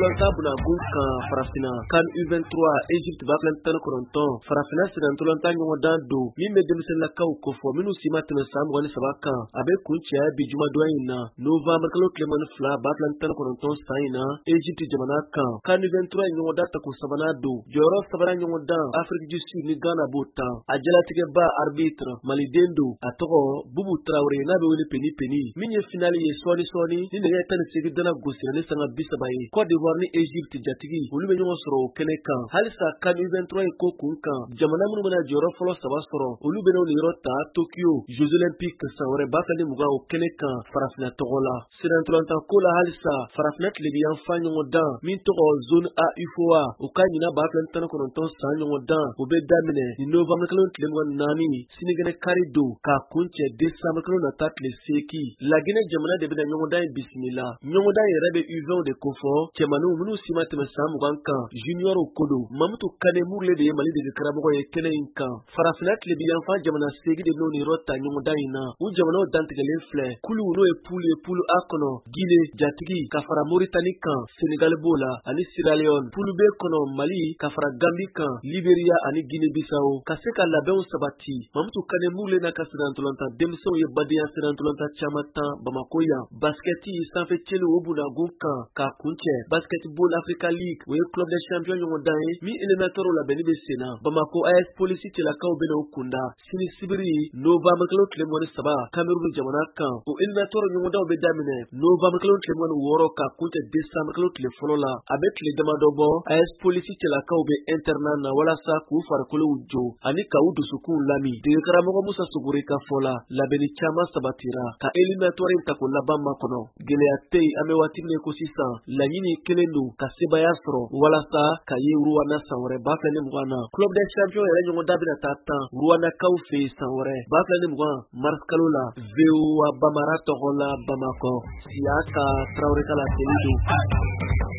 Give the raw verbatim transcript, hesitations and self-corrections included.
Sennantolatan bunagun kan Farafinna CAN U vingt-trois Égypte ba fila ni tan ni kɔnɔntɔn Farafinna sennantolatan ɲɔgɔndan don min bɛ denmisɛnninnakaw kofɔ minnu si ma tɛmɛ san mugan ni saba kan. A bɛ kuncɛ bi jumadon in na novembre kalo tile mugan ni fila ba fila ni tan ni kɔnɔntɔn san in na Égypte jamana kan. CAN U vingt-trois ɲɔgɔndan tako sabanan don. Jɔyɔrɔ sabanan ɲɔgɔndan Afrique du Sud ni Ghana b'o tan. A jalatigɛba arbitre Maliden don, a tɔgɔ Bubu Traoré n'a bɛ wele Peni Peni. Min ye finale ye sɔɔni sɔɔni ni nɛgɛ tan ni seegin dana gosira ni sanga bi saba ye. Côte d'Ivoire ni Égypte jatigi olu bɛ ɲɔgɔn sɔrɔ o kɛnɛ kan. Halisa CAN U vingt-trois in ko kun kan, jamana minnu bɛna jɔyɔrɔ fɔlɔ saba sɔrɔ olu bɛna o niyɔrɔ ta Tokyo Jeux Olympiques san wɛrɛ ba fila ni mugan o kɛnɛ kan Farafinna tɔgɔ la. Sennantolatan ko la halisa Farafinna tilebinyanfan ɲɔgɔndan min tɔgɔ zone A UFOA o ka ɲina ba fila ni tan ni kɔnɔntɔn san ɲɔgɔndan o bɛ daminɛ ni novembre kalo tile mugan ni naani sinikɛnɛ kari don k'a kuncɛ décembre kalo nata tile seegin. Laginɛ jamana de bɛna ɲɔgɔndan in bisimila. Ɲɔgɔndan yɛrɛ bɛ U vingt de kofɔ cɛmaninw minnu si ma tɛmɛ san mugan kan juniorw ko don. Mamutu Kane Murule de ye Mali dege karamɔgɔ ye kɛnɛ in kan. Farafinna tilebinyanfan jamana seegin de bɛn'o niyɔrɔ ta ɲɔgɔndan in na. U jamanaw dantigɛlen filɛ. Kulu n'o ye poule ye, poule A kɔnɔ Guinée jatigi ka fara Mauritanie kan, Sénégal b'o la ani Sierra Leone. Poule B kɔnɔ Mali ka fara Gambie kan, Liberia ani Guinée Bissau. Ka se ka labɛnw sabati, Mamutu Kane Murule n'a ka sennantolatan denmisɛnw ye badenya sennantolatan caman tan Bamako yan. Basketi sanfɛ celu o bunagun kan k'a kuncɛ Basketball Africa League o ye Club des Champions ɲɔgɔndan ye min éliminatoire labɛnni bɛ sen na. Bamako A S Police cɛlakaw bɛna o kunda sini sibiri novembre kalo tile mugan ni saba Cameroun jamana kan. O éliminatoire ɲɔgɔndanw bɛ daminɛ novembre kalo tile mugan ni wɔɔrɔ k'a kuncɛ décembre kalo tile fɔlɔ la. A bɛ tile damadɔ bɔ A S Police cɛlakaw bɛ internat na walasa k'u farikolow jo ani k'u dusukunw lami. Degekaramɔgɔ Musa Sogore ka fɔ la, labɛnni caman sabatira ka éliminatoire in tako laban makɔnɔ. Gɛlɛya tɛ yen an bɛ waati min na ko sisan, laɲini kelen don ka sebaaya sɔrɔ walasa ka ye Rwanda san wɛrɛ ba fila ni mugan na. Club des Champions yɛrɛ ɲɔgɔndan bɛna taa tan Rwandakaw fɛ yen san wɛrɛ ba fila ni mugan mars kalo la. V O A Bamara tɔgɔ la Bamakɔ, Siyaka Traoré ka laseli don.